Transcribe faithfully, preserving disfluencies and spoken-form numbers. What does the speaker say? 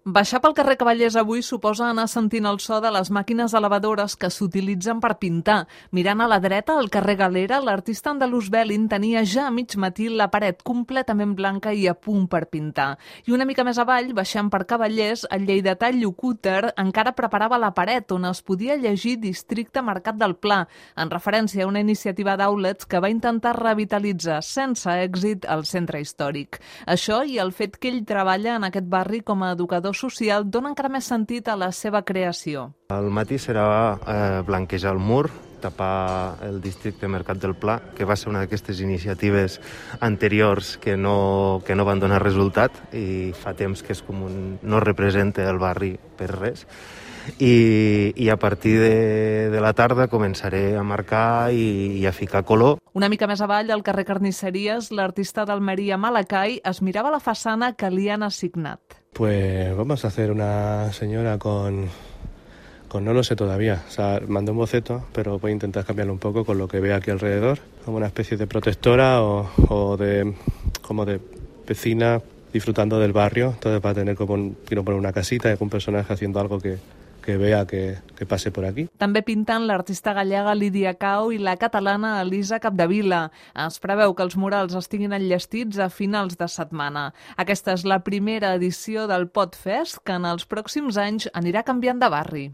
Baixar pel carrer Cavallers avui suposa anar sentint el so de les màquines elevadores que s'utilitzen per pintar. Mirant a la dreta, al carrer Galera, l'artista andalús Belin tenia ja a mig matí la paret completament blanca i a punt per pintar. I una mica més avall, baixant per Cavallers, el lleidatà Llucúter encara preparava la paret on es podia llegir Districte Mercat del Pla, en referència a una iniciativa d'outlets que va intentar revitalitzar sense èxit el centre històric. Això i el fet que ell treballa en aquest barri com a educador social dona encara més sentit a la seva creació. Al matí serà eh, blanquejar el mur, tapar el districte Mercat del Pla, que va ser una d'aquestes iniciatives anteriors que no, que no van donar resultat i fa temps que és com un, no representa el barri per res. I, i a partir de, de la tarda començaré a marcar i, i a ficar color. Una mica més avall, al carrer Carnisseries, l'artista d'Almeria Malacay es mirava la façana que li han assignat. Pues vamos a hacer una señora con, con no lo sé todavía. O sea, mandé un boceto, pero voy a intentar cambiarlo un poco con lo que veo aquí alrededor. Como una especie de protectora o, o de como de vecina disfrutando del barrio. Entonces va a tener como un, quiero poner una casita y algún personaje haciendo algo que, que vea que, que passe por aquí. També pinten l'artista gallega Lídia Cao i la catalana Elisa Capdevila. Es preveu que els murals estiguin enllestits a finals de setmana. Aquesta és la primera edició del Podfest, que en els pròxims anys anirà canviant de barri.